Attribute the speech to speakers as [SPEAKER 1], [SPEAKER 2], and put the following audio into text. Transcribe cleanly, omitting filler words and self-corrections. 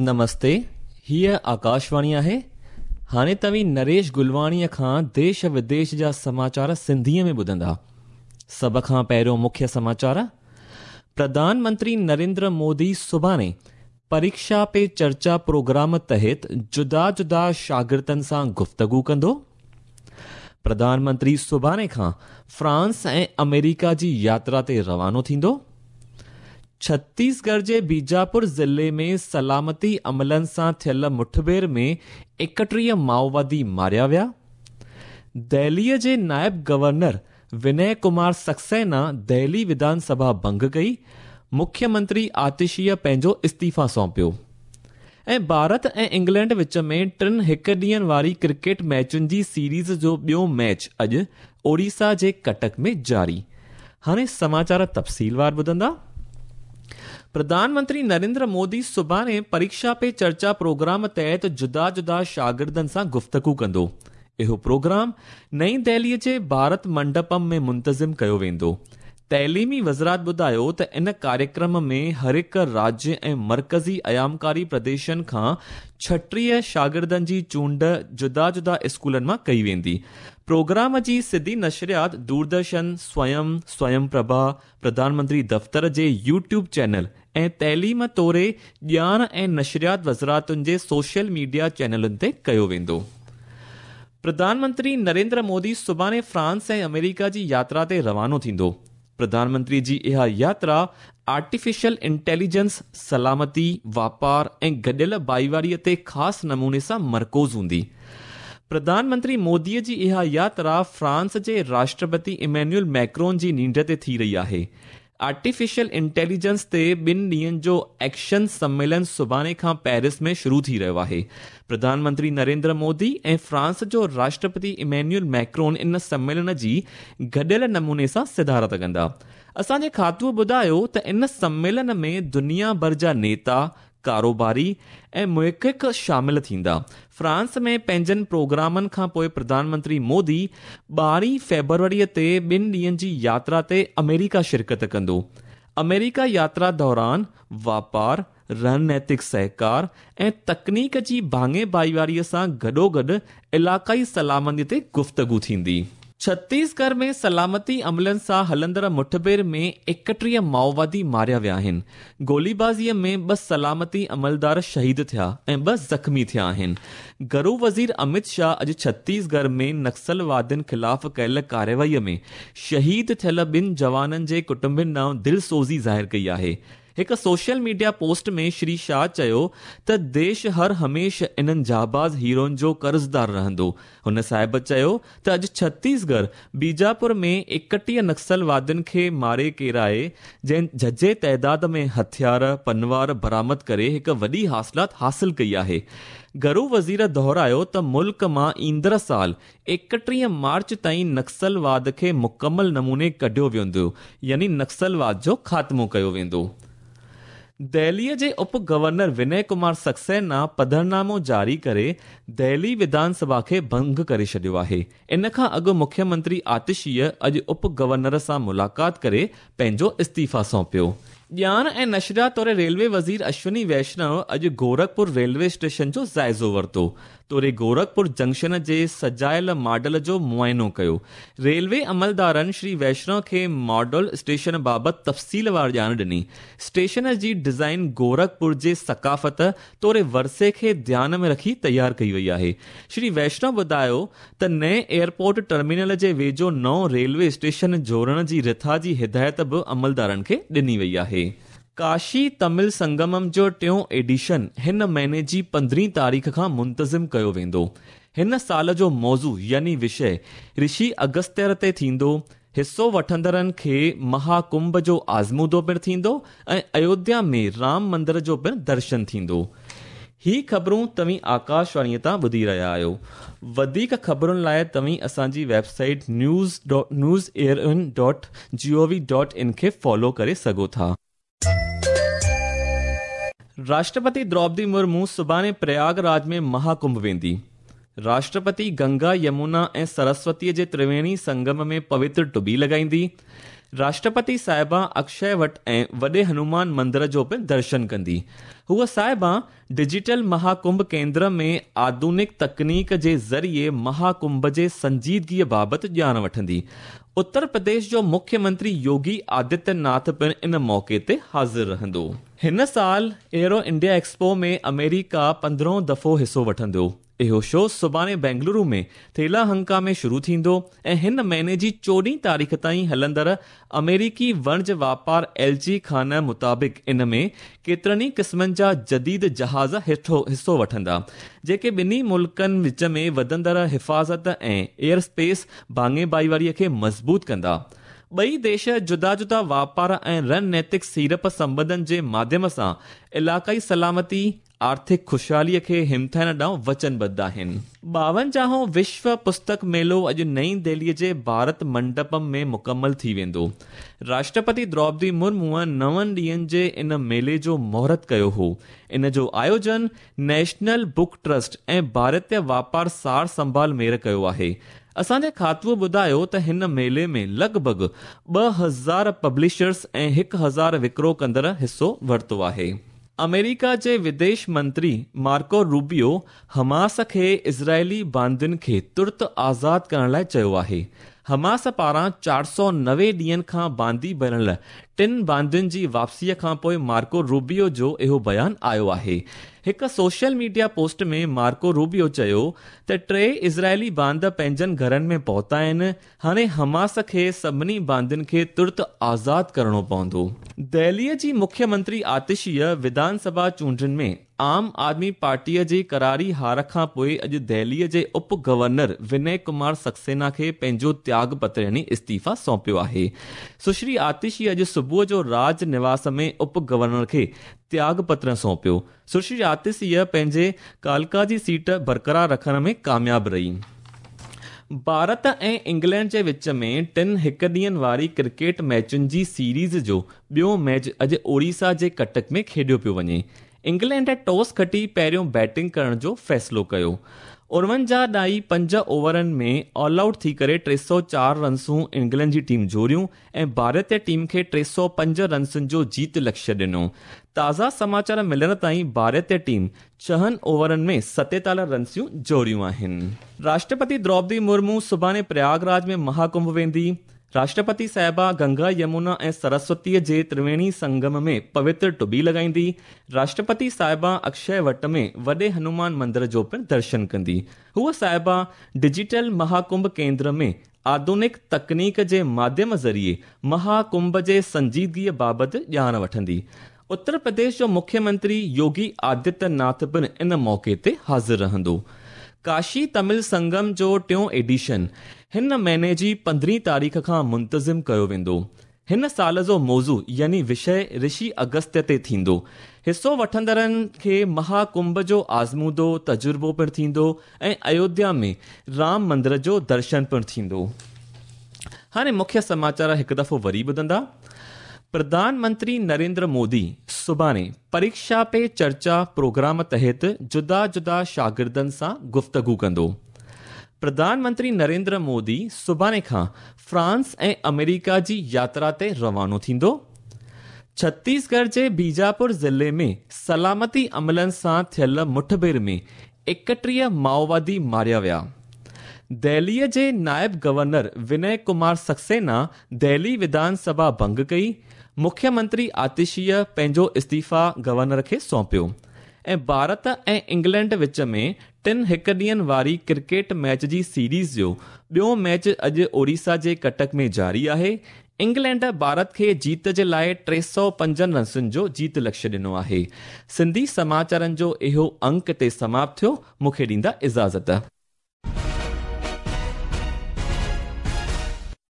[SPEAKER 1] نمستي، هيء آڪاشواڻي آهي. هاڻي توهين نريش گلواڻيء کان ديش وديش جا سماچار سنڌيء ۾ ٻڌندا. سڀ کان پهريون مکيه سماچار، پرڌان منتري نريندر مودي سڀاڻي پريڪشا پي چرچا پروگرام تحت جدا جدا شاگردن سان گفتگو ڪندو. پرڌان منتري سڀاڻي کان فرانس ۽ آمريڪا جي ياترا تي روانو ٿيندو. ڇتيسڳڙهه جي بيجاپور ضلعي ۾ سلامتي عملن سان ٿيل مٺڀيڙ ۾ 31 مائووادي ماريا ويا. دهليء جي نائب گورنر ونئي ڪمار سڪسينا دهلي وڌان سڀا ڀنگ ڪئي، مکيه منتري آتشيء پنهنجو استعيفا سونپيو. ۽ ڀارت ۽ انگلينڊ وچ ۾ ٽن هڪ ڏينهن واري ڪرڪيٽ ميچن جي سيريز جو ٻيو ميچ اڄ اوڙيسا جي ڪٽڪ ۾ جاري. هاڻي سماچار تفصيلوار ٻڌندا. پرڌان منتري نريندر مودي سڀاڻي پريڪشا پي چرچا پروگرام تحت جدا جدا شاگردن سان گفتگو ڪندو. اهو پروگرام نئين دهلي جي ڀارت منڊپم ۾ منتظم ڪيو ويندو. تعليمي وزارت ٻڌايو ته ان ڪاريڪرم ۾ هر هڪ راجيه ۽ مرڪزي ايامڪاري پرديشن کان 36 شاگردن جي چونڊ جدا جدا اسڪولن مان ڪئي ويندي. پروگرام جي سڌي نشريات دوردرشن، سويم، سويم پرڀا، پرڌان منتري دفتر جي يوٽيوب چينل ۽ تعليم توڙي ڄاڻ ۽ نشريات وزارتن جي سوشل ميڊيا چينلن تي ڪيو ويندو. پرڌان منتري نريندر مودي سڀاڻي فرانس ۽ آمريڪا جي ياترا تي روانو ٿيندو. پرڌان منتري جي اها ياترا آرٽيفيشل انٽيليجنس، سلامتي، واپار ۽ گڏيل ڀائيواري تي خاص نموني سان مرڪوز هوندي. پرڌان منتري مودي جي اها ياترا فرانس جي راشٽرپتي ايمينيول ميڪرون جي نينڍ تي ٿي رهي آهي. آرٽيفيشل انٽيليجنس تي ٻن ڏينهن جو ايڪشن سميلن سڀاڻي کان پيرس ۾ شروع ٿي رهيو آهي. پرڌان منتري نريندر مودي ۽ فرانس جو راشٽرپتي ايمينيول ميڪرون ان سميلن جي گڏيل نموني سان صدارت ڪندا. اسان جي کاتوء ٻڌايو ته ان سميلن ۾ دنيا ڀر جا نيتا، ڪاروباري ۽ محقق شامل ٿيندا. فرانس ۾ پنهنجن پروگرامن کان پوء پرڌان منتري مودي 12 فيبروري تي ٻن ڏينهن جي ياترا تي آمريڪا شرڪت ڪندو. آمريڪا ياترا دوران واپار، رڻنيتڪ سهڪار ۽ تڪنيڪ جي ڀاڱي ڀائيواري سان گڏوگڏ علائقائي سلامتي تي گفتگو ٿيندي. ڇتيسڳڙهه ۾ سلامتي عملن سان هلندڙ مٺڀيڙ ۾ 31 مائووادي ماريا ويا آهن. گوليبازيء ۾ ٻه سلامتي عملدار شهيد ٿيا ۽ ٻه زخمي ٿيا آهن. گهرو وزير امت شاهه اڄ ڇتيسڳڙهه ۾ نڪسلوادين خلاف ڪيل ڪارروائي ۾ شهيد ٿيل ٻن جوانن جي ڪٽنبن ڏانهن دلسوزي ظاهر ڪئي آهي. هڪ social media post ۾ Shri Shah چيو ته ديش هر هميشه انهن جانباز هيروئن جو قرضدار رهندو. هن صاحب چيو ته اڄ ڇتيسڳڙهه بيجاپور ۾ 31 نڪسلوادين کي ماري ڪيرائي جنهن جهجهي تعداد ۾ هٿيار، پنوار برآمد ڪري هڪ وڏي حاصلات حاصل ڪئي آهي. گهرو وزير دهرايو ته ملڪ مان ايندڙ سال 31 مارچ تائين نڪسلواد کي مڪمل نموني ڪڍيو ويندو يعني نڪسلواد جو خاتمو ڪيو ويندو. دهليء جي اپ گورنر ونئي ڪمار سڪسينا پڌرنامو جاري ڪري دهلي وڌان سڀا کي ڀنگ ڪري ڇڏيو آهي. ان کان اڳ مکيه منتري آتشيء اڄ اپ گورنر سان ملاقات ڪري پنهنجو استعيفا سونپيو. ڄاڻ ۽ نشريات توڙي ريلوي وزير اشوني ويشنو اڄ گورکپور ريلوي اسٽيشن جو جائزو ورتو. توڙي گورکپور جنڪشن جي سجايل ماڊل جو معائنو ڪيو. ريلوي عملدارن شري ويشنو کي ماڊل اسٽيشن بابت تفصيلوار ڄاڻ ڏني. اسٽيشن جي ڊزائين گورکپور جي ثقافت توڙي ورثي کي ڌيان ۾ رکي تيار ڪئي وئي آهي. شري ويشنو ٻڌايو ته نئين ايئرپورٽ ٽرمينل جي ويجهو نئون ريلوي اسٽيشن جوڙڻ جي رٿا جي هدايت به عملدارن کي ڏني وئي آهي. ڪاشي تمل سنگمم جو ٽيون ايڊيشن هن مهيني جي 15 تاريخ کان منتظم ڪيو ويندو. هن سال جو موضوع يعني وشيه رشي اگستير تي ٿيندو. حصو وٺندڙن کي مها ڪنڀ جو آزمودو پڻ ٿيندو ۽ ايوڌيا ۾ رام مندر جو پڻ درشن ٿيندو. هي خبرون توهين آڪاشواڻيء تان ٻڌي رهيا آهيو. وڌيڪ خبرن لاء توهين اسان جي web site news news air in dot G O V dot in کي فالو ڪري سگهو ٿا. راشٽرپتي دروپدي مرمو سڀاڻي پرياگ راج ۾ مها ڪنڀ ويندي. راشٽرپتي گنگا، يمونا ۽ سرسوتيء جي ترويڻي سنگم ۾ پوتر ٽٻي لڳائيندي. راشٽرپتي صاحبه اڪشي وٽ ۽ وڏي هنومان مندر جو پڻ درشن ڪندي. هوء صاحبه ڊجيٽل مهاڪنڀ ڪيندر ۾ آڌونڪ تڪنيڪ جي ذريعي مهاڪنڀ جي سنجيدگيء بابت ڄاڻ وٺندي. اتر پرديش جو مکيه منتري يوگي آدتيه ناٿ پڻ ان موقعي تي حاضر رهندو. هن سال ايرو انڊيا ايڪسپو ۾ آمريڪا 15هون دفعو حصو وٺندو. اهو شو سڀاڻي بينگلورو ۾ ٿيلاهنڪا ۾ شروع ٿيندو ۽ هن مهيني جي 14 تاريخ تائين هلندڙ آمريڪي وڻج واپار ايلچي خانه مطابق ان ۾ ڪيترن ئي قسمن جا جديد جهاز حصو وٺندا، جيڪي ٻنهي ملڪن وچ ۾ وڌندڙ حفاظت ۽ ايئر اسپيس ڀاڱي ڀائيواري کي مضبوط ڪندا. ٻئي ديش جدا جدا واپار ۽ رڻنيتڪ سيڙپ سنٻنڌن جي ماڌيم سان علائقائي سلامتي، آرٿڪ خوشحاليء کي همٿائڻ ڏانهن وچنبڌ آهن. 52هون وشو پستڪ ميلو اڄ نئين دهليء جي ڀارت منڊپم ۾ مڪمل ٿي ويندو. راشٽرپتي دروپدي مرموء نون ڏينهن جي ان ميلي جو مهورت ڪيو هو. ان جو آيوجن نيشنل بڪ ٽرسٽ ۽ ڀارتيه واپار سار سنڀال ميڙ ڪيو آهي. اسان جي کاتوء ٻڌايو ته هن ميلي ۾ لڳ ڀڳ 2000 پبلشرز ۽ 1000 وڪرو ڪندڙ حصو ورتو آهي. آمريڪا جي وديش منتري مارڪو روبيو حماس کي اسرائيلي باندين کي ترت آزاد ڪرڻ لاء چيو آهي. حماس پاران 490 ڏينهن کان باندي بڻيل ٽن باندين جي واپسيء کانپوء مارڪو روبيو جو اهو بيان آيو آهي. هڪ social media post ۾ Marco Rubio چيو ته ٽي اسرائيلي باند پنهنجن گهرن ۾ پهتا آهن، هاڻي حماس کي سڀني باندين کي ترت آزاد ڪرڻو پوندو. دهليء جي مکيه منتري آتشيء وڌان سڀا چونڊن ۾ عام آدمي پارٽيء جي قراري هار کان پوء اڄ دهليء جي اپ گورنر ونئي ڪمار سڪسينا کي پنهنجو تياڳ پتر يعني استعيفيٰ سونپيو آهي. سشري آتشي اڄ صبح جو راج نواس ۾ اپ گورنر کي تياڳ پتر سونپيو. سشري آتشيء پنهنجي ڪالڪا جي سيٽ برقرار رکڻ ۾ ڪامياب رهي. ڀارت ۽ انگلينڊ جي وچ ۾ ٽن هڪ ڏينهن واري ڪرڪيٽ ميچن جي سيريز جو ٻيو ميچ اڄ اوڙيسا جي ڪٽڪ ۾ کيڏيو پيو وڃي. انگلينڊ ٽاس کٽي پهريون بيٽنگ ڪرڻ جو فيصلو ڪيو. 49.5 اوورن ۾ آل آئوٽ ٿي ڪري 304 رنسون انگلينڊ جي ٽيم جوڙيون ۽ ڀارتي ٽيم کي 305 رنسن جو جيت لڪشيه ڏنو. تازا سماچار ملڻ تائين ڀارتي ٽيم ڇهن اوورن ۾ 47 رنسيون جوڙيون آهن. راشٽرپتي دروپدي مرمو سڀاڻي پرياگ راج ۾ مهاڪنڀ ويندي. راشٽرپتي صاحبه گنگا، يمونا ۽ سرسوتيء جي ترويڻي سنگم ۾ پوتر ٽٻي لڳائيندي. راشٽرپتي صاحبه اڪشي وٽ ۾ وڏي هنومان مندر جو پڻ درشن ڪندي. هوء صاحبه ڊجيٽل مهاڪنڀ ڪيندر ۾ آڌونڪ تڪنيڪ جي ماڌيم ذريعي مها ڪنڀ جي سنجيدگيء بابت ڄاڻ وٺندي. اتر پرديش جو مکيه منتري يوگي آدتيه ناٿ پڻ ان موقعي تي حاضر رهندو. ڪاشي تمل سنگم جو ٽيون ايڊيشن هن مهيني جي 15 تاريخ کان منتظم ڪيو ويندو. هن سال جو موضوع يعني وشيه رشي اگستيه تي ٿيندو. حصو وٺندڙن کي مها ڪنڀ جو آزمودو، تجربو، پڻ ٿيندو ۽ ايوڌيا ۾ رام مندر جو درشن پڻ ٿيندو. هاڻي مکيه سماچار هڪ دفعو وري ٻڌندا. پرڌان منتري نريندر مودي سڀاڻي پريڪشا پي چرچا پروگرام تحت جدا جدا شاگردن سان گفتگو ڪندو. پرڌان منتري نريندر مودي سڀاڻي کان فرانس ۽ آمريڪا جي ياترا تي روانو ٿيندو. ڇتيسڳڙهه جي بيجاپور ضلعي ۾ سلامتي عملن سان ٿيل مٺڀيڙ ۾ 31 مائووادي ماريا ويا. دهليء جي نائب گورنر ونئي ڪمار سڪسينا دهلي وڌان سڀا ڀنگ ڪئي. مکيه منتري آتشيء پنهنجو استعيفيٰ گورنر کي سونپيو ۽ ڀارت ۽ انگلينڊ وچ ۾ ٽن هڪ ڏينهن واري ڪرڪيٽ ميچ جي سيريز جو ٻيو ميچ اڄ اوڙيسا جي ڪٽڪ ۾ جاري آهي. انگلينڊ ڀارت کي جيت جي لاء 305 رنسن جو جيت لڪشيه ڏنو آهي. سنڌي سماچارن جو اهو انڪ هتي سماپت ٿيو. مون کي ڏيندا اجازت.